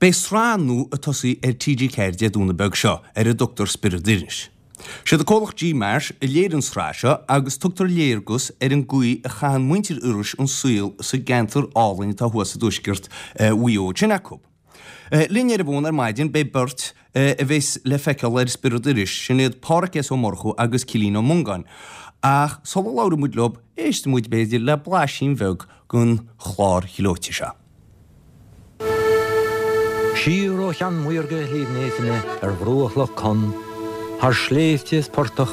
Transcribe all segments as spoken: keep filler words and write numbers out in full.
Beidh sraith nua ag tosaí ar T G ceathair Dé Domhnaigh beag seo ar a dtugtar Spiorad Iorrais. Siad an comhlacht G Marsh a léirigh an sraith seo agus tugtar léargas ar an gcaoi a chaitheann muintir Iorrais an saol sa gceantar álainn atá thuas i dtuaisceart Mhaigh Eo sin acu. Linn ar an bhfón ar maidin beidh beirt a bheas le feiceáil ar Spiorad Iorrais, sin iad Páraic S. Ó Murchú agus Cillian Ó Mongáin. Ach sula labhraíonn muid leo, éistfidh muid b'fhéidir le blaisín bheag den chlár gleoite seo. Siar ó Cheann Maorga Shliabh Néifinne ar bhruach Loch Con, thar sléibhte is portach,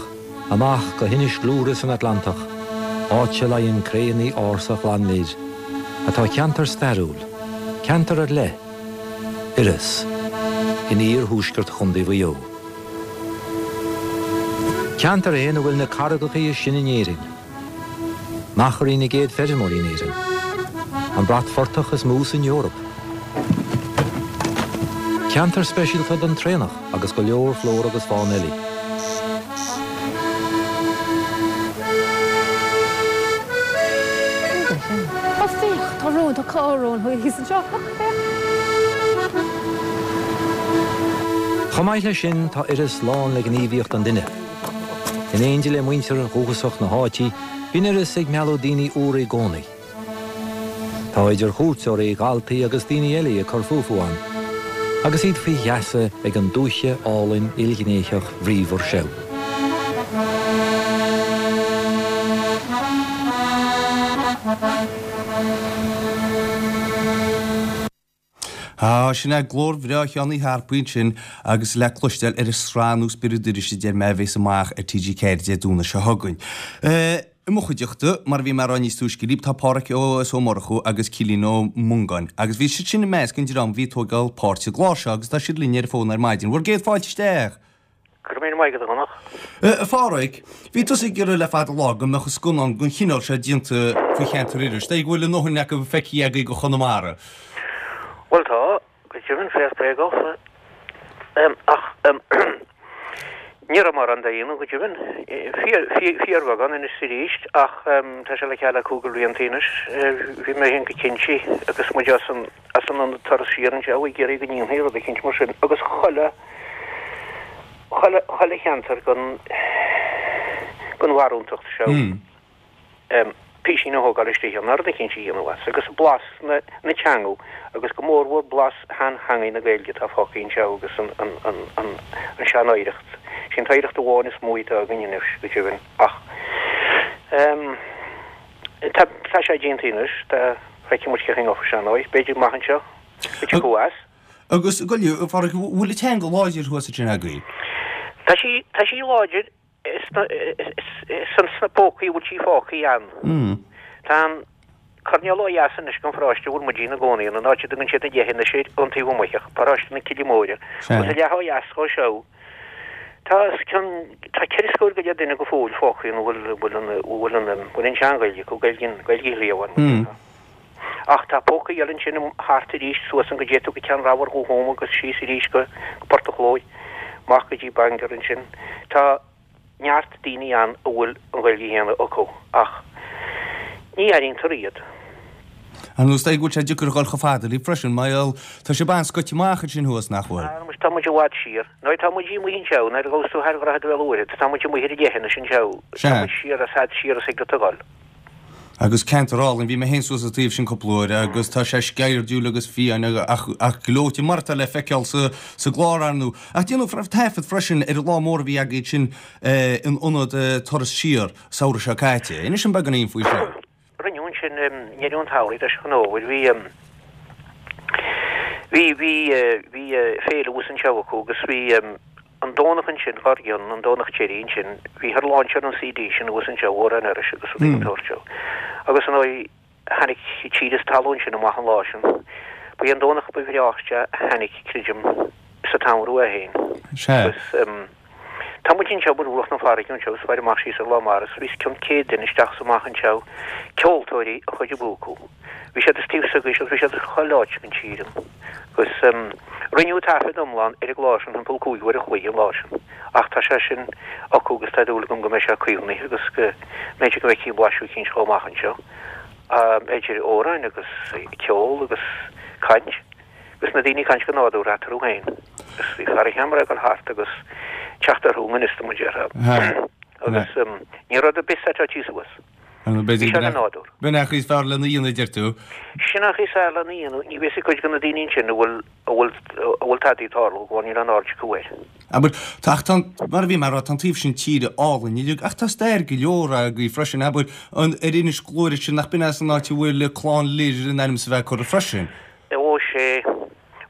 amach go hInis Gluaire san Atlantach, áit a luíonn créanna ársa Ghleann Lir, atá ceantar stairiúil, ceantar ar leith, Iorras, in iarthuaisceart Chontae Mhaigh Eo. Ceantar é ina bhfuil na carraigeacha is sine in Éirinn. Machairí na gcéad feirmeoirí in Éirinn. An bratphortach is mó san Eoraip. Ceantar speisialta don traonach agus go leor flóra agus fána eile. Ó féach, tá rón, tá carr rón thíos anseo. Féach. Chomh maith leis sin tá Iorras lán le gníomhaíocht an duine. In éindí le muintir dhúchasach na háite, bíonn Iorras ag mealladh daoine úra i gcónaí. Tá idir chuairteoirí, dhaltaí agus daoine eile ag cur fúthu ann, agus iad faoi gheasa ag an dúiche álainn ilghnéitheach bhríomhar seo. Á, sin é glór bhreá Sheáin Uí Tharpaigh ansin agus le cloisteáil ar an sraith nua Spiorad Iorrais a deir mé a bheas amach ar T G ceathair Dé Domhnaigh seo chugainn. I mo chuideachta, mar a bhí mé a rá níos túisce libh, tá Páraic S. Ó Murchú agus Cillian Ó Mongáin agus bhí siad sin i measc an dream a bhí ag tógáil páirt sa gclár seo agus tá siad linn ar an bhfón ar maidin. Bhur gcéad fáilte isteach! Go raibh míle maith agat, a Dhonncha. A Pháraic, bhí tusa ag iarraidh le fada lá go mbeadh scannán den chineál seo déanta faoi cheantar Iorrais. Dóigh go bhfuil a ndóthain acu feicthe agaibh go Chonamara. Bhuel tá, go deimhin, féach Bréagach. Ach ní raibh mórán dá dhéanamh go deimhin. Fíorbheagán anois is arís ach tá sé le ceal le cúig bhlianta anois. Bhí mé féin go cinnte agus muid as an as an ionad turas siar anseo ag iarraidh go ndéanfaí rud eicínt mar sin agus chuile chuile chuile cheantar den den bharúntacht seo písín a thógáil istigh ann, rud eicínt a dhéanamh as agus blas na na teanga agus go mórmhór blas sheanteangaidh na Gaeilge atá fágtha anseo agus an an an an an sean-oidhreacht. Sin an t-oidhreacht amháin is mó atá againn anois go deimhin ach tá tá sé déanta anois, tá feicfidh muid cén chaoi a ngabhfaidh sé anois, b'fhéidir amach anseo, go dtiocfaidh as. Agus gabh i leith, a Pháraic, bhfuil an teanga láidir thuas ansin agaibh? Tá sí tá sí láidir sna sna pócaí a bhfuil sí fágtha ann. Tá an coirnéal ó dheas anois den pharóiste a bhfuil muid ina gcónaí ann, an áit a dtugann siad na Deich anois air ón taobh amuigh, paróiste na Cille Móire. Agus a leath ó dheas dhó seo, tá os cionn tá ceithre scór go leith duine go fóill fágtha ann a bhfuil bhfuil an bhfuil an bhfuil an tSean-Ghaeilge acu, Gaeilge Gaeilge Shliabh Bháin. Ach tá pócaí eile ansin thart arís, suas an go dté tú go Ceann Ramhar Dhumha Thóma agus síos arís go Port an Chlóidh, amach go dtí Bangor ansin. Tá neart daoine ann a bhfuil an Ghaeilge chéanna acu ach ní airítear iad. Ar ndóigh, is dóigh go bhfuil sé deacair a dhul chomh fada libh freisin, mar gheall, tá sibh an-scoite amach ansin thuas, nach bhfuil? Tá, tá muid i bhfad siar. Nuair tá muid amuigh anseo, nuair a ghabhas tú thar Dhroichead Bhéal Mhuirthead, tá muid amuigh ar an leithinis anseo, tá muid siar as fhad siar as ag do dhul. Agus ceantar álainn, bhí mé féin suas an taobh sin cúpla uair agus tá sé sceirdiúil agus fiáin ach ach gleoite mar atá le feiceáil sa sa gclár ar ndóigh. Ach déanadh taifead freisin ar an lá mór a bhí agaibh sin in ionad Turas Siar samhradh seo caite. Inis dom beagáinín faoi sin. Rinneadh ansin i ndeireadh an tsamhraidh i dtoiseach an fhómhair. Bhí bhí bhí bhí féile thuas anseo acu agus bhí An Domhnach ansin, dhár gcionn, an Domhnach deiridh ansin, bhíthear lainseáil an C D sin thuas anseo, Amhráin Iorrais agus rudaí den tsórt seo. Agus ar ndóigh, tháinig tír is talún sin amach an lá sin. Ba é an Domhnach ba bhreáichte a tháinig, creidim, sa tsamhradh é féin. Agus tá muid anseo ar bhruach na farraige anseo is faire amach síos ar Loch Mara is bhí os cionn céad duine isteach is amach anseo, ceoltóirí an chuid ab fhiú acu. Bhí siad as taobh s'agaibhse agus bhí siad as chuile áit den tír ann. Agus rinneadh taifead iomlán ar an gclár sin thimpeall cúig uair a chloig an lá sin. Ach tá sé sin acu agus tá dúil agam go mbeidh sé caomhnaithe agus go mb'fhéidir go bhfeicfí blaiseadh eicínt dhó amach anseo. Idir amhráin agus ceol agus caint. Agus na daoine ag caint go nádúrtha eatarthu féin. Agus bhí fear an cheamara ag dul thart agus teacht orthu i ngan fhios dom, a déarfá. Agus ní raibh rud ar bith setáilte suas. Bhí sé go nádúr. B'in é an chaoi is fearr lena dhéanamh, a deir tú. Sin an chaoi is fearr lena dhéanamh. Ní bheidh a fhios ag cuid de na daoine ansin a bhfuil a bhfuil a bhfuil tadaí ag tarlú go bhfuil níl aon aird acu air. Abair, tá ach tá an, mar a bhí mé a rá, tá an taobh sin tíre álainn uilig ach tá stair go leor agaibh freisin, abair, an, ar Inis Gluaire sin nach b'in é an áit a bhfuil Clann Lir in ainm is a bheith curtha freisin. Ó sé,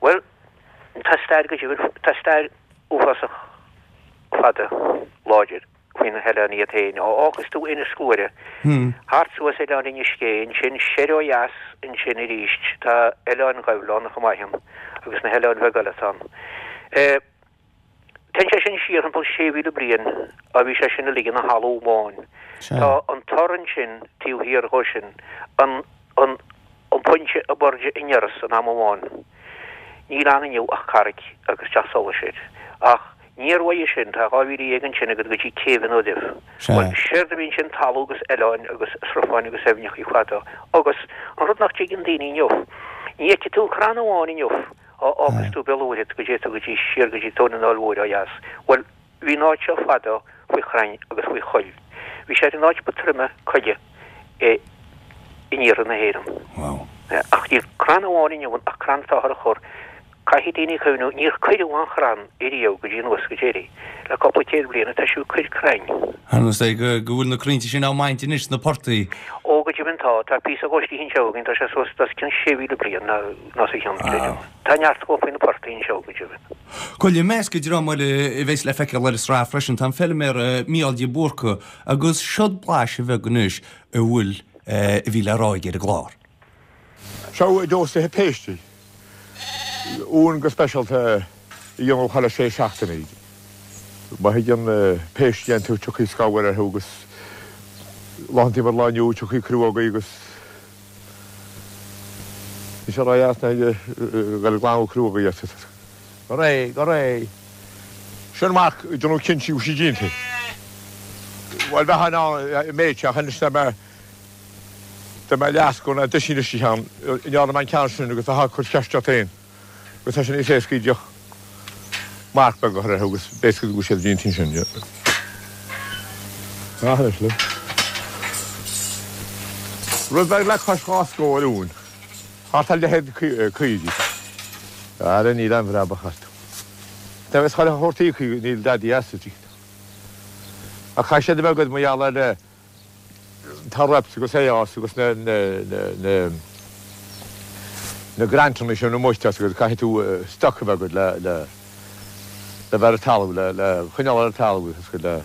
bhuel, tá stair go deimhin, tá stair uafásach fada, láidir faoi na hoileáin iad féin. Ó fhágas tú Inis Gluaire, thart suas Oileán Inis Gé, ansin soir ó dheas ansin arís, tá Oileán Ghabhla ann chomh maith ann, agus na hoileáin bheaga eile atá ann. Téann sé sin siar thimpeall sé mhíle bliain, á bhí sé sin uilig ina thalamh amháin. Tá an tor ansin taobh thiar dhó sin, an, an, an pointe ab airde in Iorras in am amháin. Níl ann inniu ach carraig agus teach solais air. Ach níor uaidh sin, tá dhá mhíle dhéag ansin agat go dtí Céibh an Uaimh. Bhuel, séard a bhí ansin talamh agus oileáin agus srutháin agus aibhneachaí fada. Agus an rud nach dtuigeann daoine inniu, ní fheicfidh tú crann amháin inniu á fhágas tú Béal an Mhuirthead go dté tú go dtí siar go dtí Tóin an Fháil Mhóir ó dheas. Bhuel, bhí an áit seo fadó faoi chrainn agus faoi choill. Bhí sé ar an áit ba troime coille i in iarthar na hÉireann. Wow. Ach níl crann amháin inniu ann ach crann atáthar a chur. Caithfidh daoine cuimhniú, níor cuireadh aon chrann ariamh go dtí anuas go deiridh. Le cúpla céad bliain atá siad ag cur crainn. Ar nós é go go bhfuil na crainnte sin á mbaint anois sna portaigh. Ó go deimhin tá. Tá píosa dhó istigh anseo againn, tá sé suas os cionn sé mhíle bliain ná ná os a chionn, creidim. Tá neart dhó faoi na portaigh anseo go deimhin. Bhuel, i measc an dream eile a bheas le feiceáil ar an sraith freisin tá an feilméara Mícheál de Búrca agus seod blaiseadh bheag anois a bhfuil a bhí le rá aige ar an gclár. Seo d'fhostaithe péistí. Uan go speisialta a dhéanamh chuile sé seachtainí. Má thigeann péist iontu tiocfaidh scamhar orthu agus laethantaí mar lá inniu tiocfaidh crúógaí agus ní sé ró-dheas ná dhul ag glanadh crúógaí as. Go réidh, go réidh. Sin marc déanamh cinnte go bhfuil sí déanta. Bhuel bheadh in ann méid ach anois tá mé Dá mbeadh leathscór ná duisín istigh ann, ní fhearr an ceann sin agus bheifeá ag cur ceist ort féin agus tá sé níos éascaí díreach marc beag a chur orthu agus b'éasca go bhfuil siad déanta ansin. Anois le. Rud beag le cois dhá scór uain. Thart ar leithéid caoirigh. Ara níl aon bhrabach astu. Tá is chuile shórt íoctha, níl dadaí astu. Ach chaith siad a bheith agat mar gheall ar Tá reps agus ARs agus na na na grantanna sin amuigh agus caithfidh tú stoc a bheith agat le le le bheith ar an talamh le le choinneáil ar an talamh agus le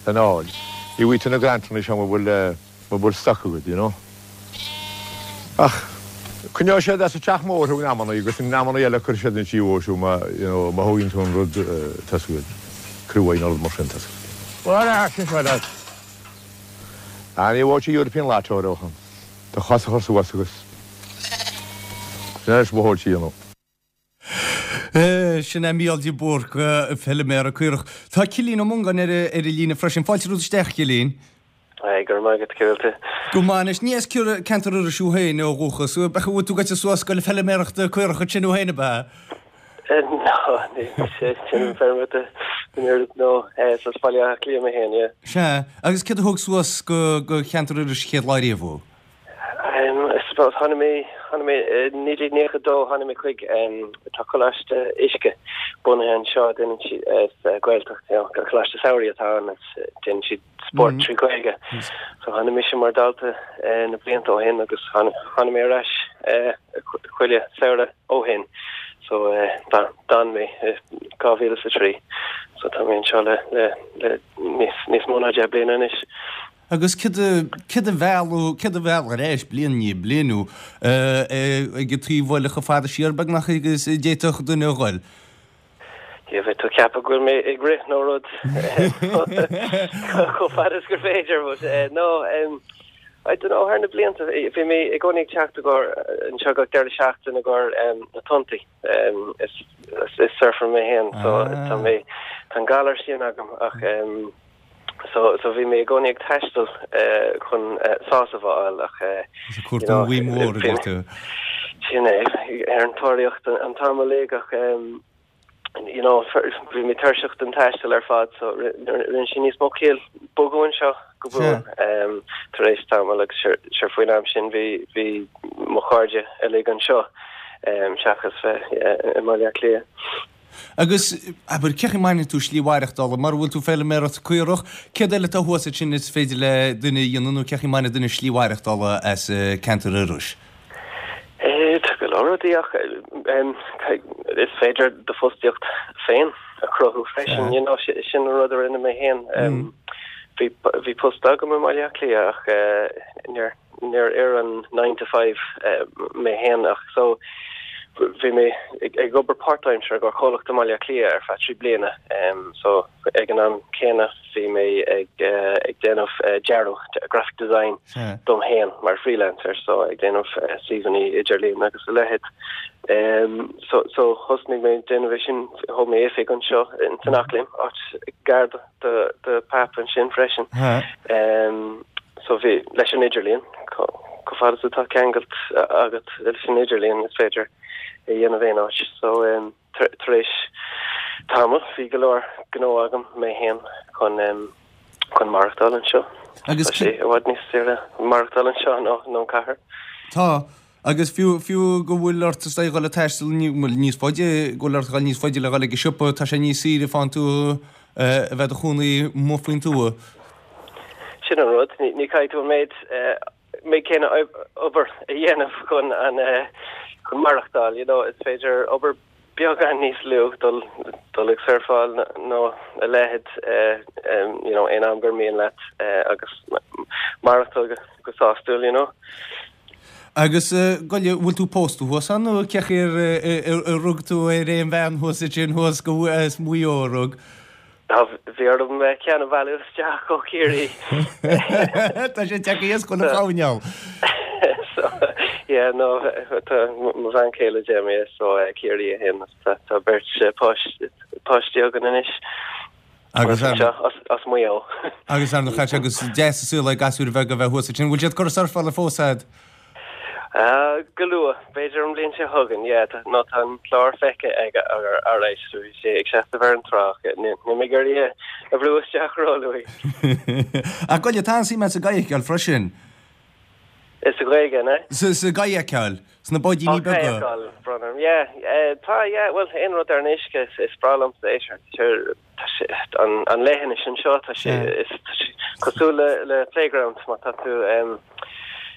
lena fháil. Ní bhfaighidh tú na grantanna seo mura bhfuil mura bhfuil stoc agat, you know. Ach coinneoidh siad as an teach mór thú in amanna agus in amanna eile cuirfidh siad an tí thú má you know má thógann tú an rud tá's agat cruaidh nó rud mar sin tá's agat. Bhuel, sin seo leat. Ah, ní bhfuair sí European Lotto ó shin. Do chos a chur suas agus sin anois mo thóid a dhéanamh. Sin é Mícheál de Búrca, feilméara caorach. Tá Cillian Ó Mongáin ar an líne freisin. Fáilte romhat isteach, a Chilliain. Aye, go raibh maith agat, cén chaoi a bhfuil tú? Go maith anois. Ní as ceantar Iorrais thú féin ó dhúchas. Bhfuil tú gaibhte suas ag goil ag feilméaraireacht caorach ansin thú féin, ab ea? No, ní sé sin feilméara no, is as Baile Átha Cliath mé féin, yeah. Sea, agus céard a thug suas go go cheantar Iorrais an chéad lá riamh thú? Um, I suppose tháinig mé tháinig mé i naoi déag nócha a dó tháinig mé chuig um, tá coláiste uisce bunaithe anseo déanann siad is uh, Gaeltacht, you know, coláiste samhraidh atá ann is uh, déanann siad spórt trí Ghaeilge. So tháinig mise mar dalta uh, na blianta ó shin agus tháinig tháinig mé ar ais uh, chuile samhradh ó shin. So uh, d'fhan mé dhá mhíle is a trí. So tá mé anseo le le le níos níos mó ná deich bliana anois. Agus céard a céard a mheall céard a mheall ar ais bliain i ndiaidh bliana thú ag an taobh eile chomh fada siar beagnach agus a d'fhéadfadh duine a ghoil? Yeah, bheadh tú ag ceapadh go bhfuil mé ag rith nó rud chomh fada is gur féidir, but uh, no, um, I don't know, thar na blianta, bhí mé i gcónaí ag teacht i gcomhair anseo gach deireadh seachtaine i gcomhair um, na tonntaí. Um, is, is, is surfer mé féin, so tá mé tá an galar sin agam ach um, so, so bhí mé i gcónaí ag taisteal uh, chun uh, sásamh a fháil ach uh, Is ag cuartú an mhaoin mhór, a deir tú. Sin é ar an tóraíocht an t-am uilig ach you know bhí mé tuirseach den taisteal ar fad so rinne sé níos mó ciall bogadh anseo go buan um, tar éis tamall agus sure faoin am sin bhí bhí mo chairde uilig anseo um, seachas bheith i mBaile Átha Cliath. Agus abair cé chaoi a mbaineann tú slí mhaireachtála mar bhfuil tú feilméaracht caorach, céard eile atá thuas ansin is féidir le duine a dhéanamh nó cé chaoi a mbaineann duine slí mhaireachtála as ceantar Iorrais? Tá go leor rudaí ach is féidir do fostaíocht féin a chruthú freisin, you know, sin an rud a rinne mé féin. Bhí bhí post agam i mBaile Átha Cliath ach níor níor oir an nine to five mé féin ach so bhí mé ag obair páirtaimseartha do chomhlacht i mBaile Átha Cliath ar feadh trí bliana so ag an am céanna bhí mé ag ag déanamh dearadh graphic design dom féin mar freelancer so ag déanamh suíomhanna idirlín agus a leithéid. Um, so so thosnaigh mé déanamh sin thóg mé oifig anseo in san Eachléim áit gar do do Pap ansin freisin. Um, so bhí leis an idirlíon chomh fada is atá ceangailt agat leis an idirlíon is féidir é dhéanamh aon áit so um, tar éis tamall bhí go leor gnó agam mé féin chun um, chun maireachtáil anseo. Agus sé i bhfad níos saoire maireachtáil anseo ná ná cathair. Tá agus fiú fiú go bhfuil ort is dul ag taisteal níos faide go bhfuil ort dul níos faide le dhul ag an siopa tá sé níos saoire fán tú a bheith i do chónaí amuigh faoin tuath. Sin an rud ní caithfidh tú an méid méid céanna obair a dhéanamh chun an chun maireachtáil, you know, is féidir obair beagán níos lú dul dul ag surfáil nó a leithéid you know, aon am gur mian leat agus maireachtáil go, go sásúil, you know. Agus gabh i leith bhfuil tú pósta thuas ann nó cé chaoi ar rug tú ar aon bhean thuas ansin thuas go as Maigh Eo a rug? Bhí orm ceann a mhealladh isteach ó Chiarraí. Tá sé te is chun a choinneáil. So yeah no tá mo bhean chéile Jamie so Ciarraí a hin tá tá beirt páistí againn anois. Agus as as Maigh Eo. Agus ar na agus deas súil le gasúir bheaga a bheith thuas ansin bhfuil siad ag surfáil fós agat? Uh, go luath, b'fhéidir an bhliain seo chugainn, yeah, nó tá an clár feicthe aige ar ar éis bhí sé ag seasamh ar an trá, ní mé gur a bhrú isteach róluath. Ach gabh i leith tá an-suim sa gcadhcáil freisin. Is sa Ghaeilge, ne? Sa sa gcadhcáil, sna báidíní beaga. Brother. Yeah, uh, tá yeah, well aon rud ar an uisce is, is breá liomsa é sure, an an leithinis anseo tá sé is cosúil le le playground má tá tú um,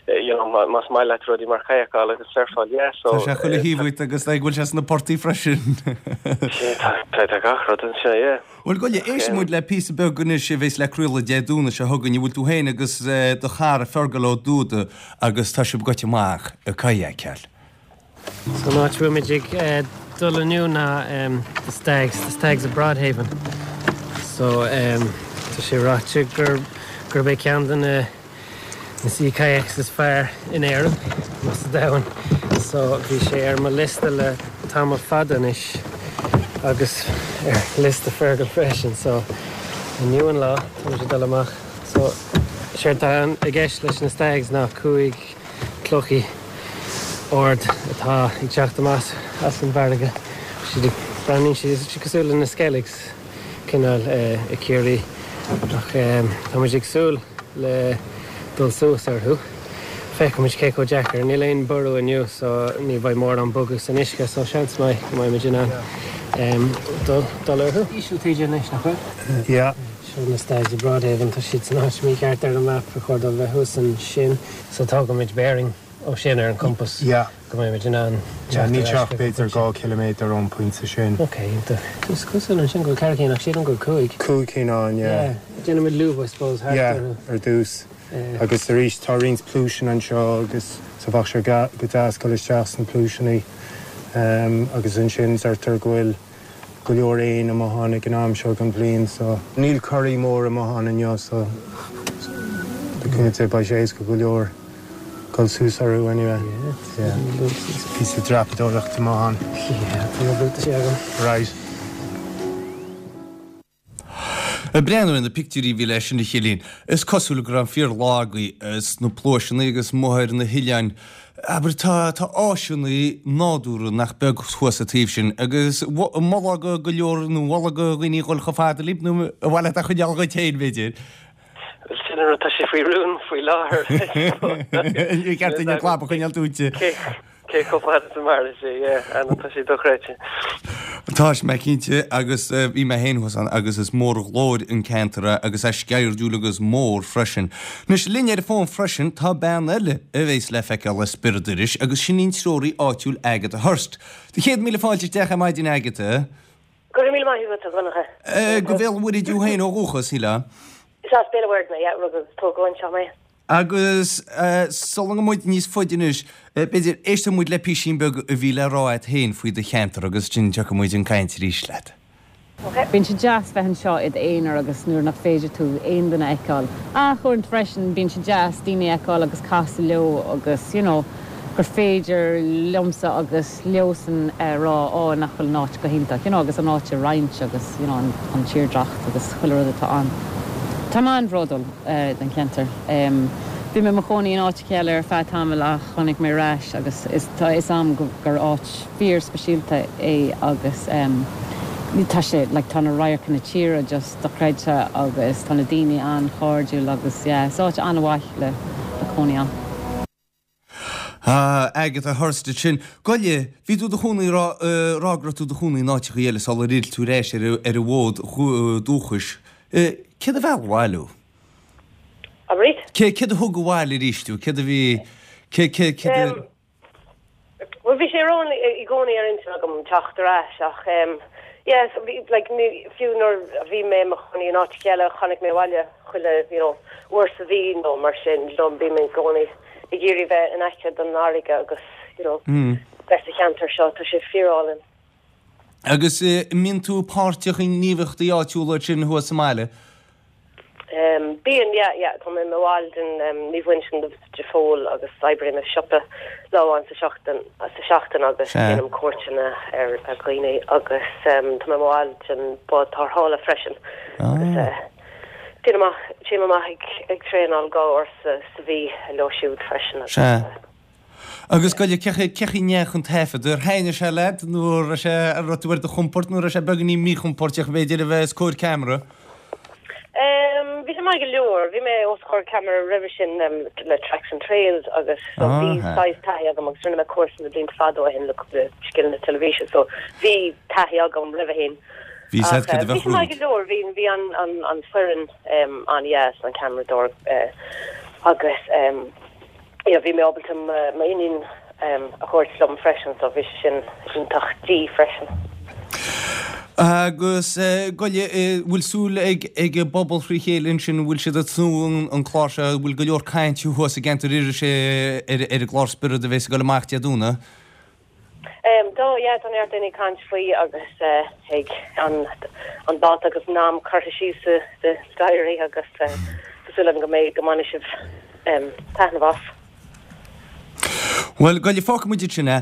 you know, más maith leat rudaí mar kayakáil agus surfáil, yeah, so Tá sé chuile thaobh uait agus go bhfuil sé sna portaigh freisin. Tá tá gach rud anseo, yeah. Bhuel gabh i leith éistfidh muid le píosa beag anois a bheas le craoladh Dé Domhnaigh seo chugainn, bhfuil tú féin agus do chara Fergal Ó Dúda agus tá sibh gaibhte amach ag kayakáil. So an áit a bhfuil muid ag dul inniu ná the Stags, the Stags of Broadhaven. So um, tá sé ráite gur gurb é ceann de na na sea kayaks is fearr in Éirinn nó sa domhan. So bhí sé ar mo liosta le tamall fada anois agus ar liosta Fergal freisin, so inniu an lá tá muid ag dul amach. So séard atá i gceist leis na Stags ná cúig clochaí ard atá ag teacht amach as an bhfarraige. Siad breathnaíonn siad siad cosúil le na Skelligs cineál i Ciarraí ach tá muid ag súil le dul suas orthu. Feicfimid cé chomh deacair, níl aon ború inniu so ní bheidh mórán bogadh san uisce so seans maith go mbeidh muid in ann dul dul orthu. Íseal taoide anois nach bhfuil? Yeah. Seo na Stags of Broadhaven tá siad san áit mícheart ar an map ba chóir dóibh bheith thuas ansin so tógfaimid bearing ó sin ar an compass Yeah. go mbeidh muid in ann Yeah, ní teacht teach b'fhéidir dhá chiliméadar ón pointe sin. Ok, iontach. Is cosúil ansin go bhfuil ceithre cinn ach sílim go bhfuil cúig. Cúig cinn ann, yeah. Yeah, déanaimid lúb I suppose thart Yeah, orthu. ar dtús. Agus arís tá roinnt pluaiseanna anseo agus so bheadh sé go deas dul isteach sna pluaiseanna um, agus ansin deirtear go bhfuil go leor éin amuigh ann ag an am seo den bhliain so níl corraí mór amuigh ann inniu so le cúnamh Dé beidh sé éasca go leor dul suas orthu anyway. Yeah. Píosa dreapadóireachta amuigh ann. Yeah, tá na buataisí agam. Right. Ag breathnú ar na pictiúirí a bhí leis sin a Chillín, is cosúil go raibh an fíor lá agaibh sna pluaiseanna agus amuigh ar na hoileáin. Abair, tá tá áiseanna nádúrtha nach beag thuas an taobh sin agus an molfá go go leor nó mholfá do dhaoine dhul chomh fada libh nó ar mhaith leat é a choinneáil dhuit féin b'fhéidir? Bhuel sin an rud, tá sé faoi rún faoi láthair. Ní ceart duine clab a choinneáil dúinse. Cé chomh fada is a mairfidh sé, yeah, ana, tá sé dochreidte. Tá sé cinnte agus bhí mé féin thuas ann agus is mór an ghlóir an ceantar é agus é sceirdiúil agus mór freisin. Anois linn ar an bhfón freisin tá bean eile a bhéas le feiceáil ar Spiorad Iorrais agus sin í an treoraí áitiúil Agatha Hurst. Do chéad míle fáilte isteach ar maidin Agatha. Go raibh míle maith agat a Dhonncha. Go Bhéal an Mhuirthead thú féin ó dhúchas, shílfeá? Is as Béal an Mhuirthead mé, yeah, rugadh agus tógadh anseo mé. Agus sula ngabhfaidh muid níos faide anois, b'fhéidir, éistfidh muid le písín beag a bhí le rá agat féin faoi do cheantar agus ansin tiocfaidh muid chun cainte arís leat. Bíonn sé deas bheith anseo i d'aonar agus nuair nach féidir tú aon duine a fheiceáil. Ach uaireanta freisin bíonn sé deas daoine a fheiceáil agus casadh leo agus you know gur féidir liomsa agus leosan a rá á nach bhfuil an áit go hiontach you know agus an áit a roinnt agus you know an tírdreacht agus chuile rud atá ann. Tá mé an-bhródúil den cheantar. Bhí mé i mo chónaí in áit eile ar feadh tamaill ach tháinig mé ar ais agus is tá a fhios agam gur áit fíor speisialta é agus tá sé like tá na radharcanna tíre just dochreidte agus tá na daoine an-chairdiúil agus yeah is áit an-mhaith le le cónaí ann. Agatha Hurst ansin. Goile, bhí tú i do chónaí rá rá go raibh tú i do chónaí in áiteachaí eile sular fhill tú ar ais ar ar an bhfód dúchais. Céard a mheall abhaile thú? Abair? Cé céard a thug abhaile arís tú? Céard a bhí cé cé céard a. Bhuel bhí sé ar i gcónaí ar intinn agam teacht ar ais ach yeah so bhí like ní fiú nuair a bhí mé i mo chónaí in áit eile tháinig mé abhaile chuile you know uair sa mhí nó mar sin you know bím i gcónaí ag iarraidh bheith in aice don fharraige agus you know bheith sa cheantar seo tá sé fíorálainn. Agus an mbíonn tú páirteach i ngníomhaíochtaí áitiúla ansin thuas sa mbaile? Bíonn, yeah, yeah, tá mé i mo bhall den Naomh Uinseann de Pól agus oibrím i siopa lá amháin sa seachtain sa seachtain agus déanaim cuairteanna ar dhaoine agus tá mé i mo bhall den bád tarrthála freisin agus téim amach téim amach ag ag traenáil dhá uair sa sa mhí leo siúd freisin agus. Sea. Agus goile, cé chaoi cé chaoi a ndeachaigh an taifead? Ar thaitnigh sé leat nó an raibh sé an raibh tú ar do chompord nó an raibh sé beagáinín míchompordach b'fhéidir a bheith os comhair ceamara? Bhí sé maith go leor. Bhí mé os comhair ceamara roimhe sin le Tracks and Trails agus so bhí saghas taithí agam agus rinne mé cúrsa na blianta fada ó shin le scileanna teilifíse so bhí taithí agam roimhe sin. Bhí Ach said cad a bhí bheadh sé maith romhat. go leor. Bhí bhí an an an foireann an-dheas, an ceamaradóir agus yeah bhí mé ábalta m'iníon a thabhairt liom freisin so bhí sé sin iontach di freisin. Agus goile, bhfuil súil ag ag an bpobal frí chéile ansin, bhfuil siad ag tnúth an clár seo, bhfuil go leor cainte thuas i gceantar Iorrais ar ar an gclár Spiorad a bheas ag dul amach Dé Domhnaigh? Tá, yeah, tá neart daoine ag caint faoi agus ag an an dáta agus an am curtha síos sa sa diary agus tá súil agam go mbeidh go mbainfidh sibh taitneamh as. Bhuel, goile, fágfaidh muid ansin é.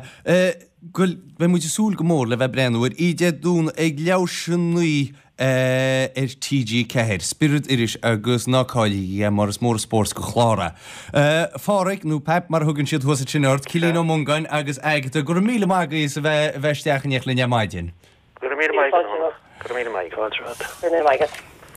Goil, beidh muid ag súil go mór le bheith ag breathnú air Dé Domhnaigh ag leathuair théis a naoi ar T G ceathair, Spiorad Iorrais agus ná cailligí é mar is mór an spórt go chlár é. A Pháraic, nó Pap mar a thugann siad thuas ansin ort, Cillín Ó Mongáin agus Agatha, go raibh míle maith agaibh as a bheith a bheith isteach in éineacht linn ar maidin. Go raibh míle maith agat, a Dhonncha. Go raibh míle maith agat. Go raibh míle maith agat.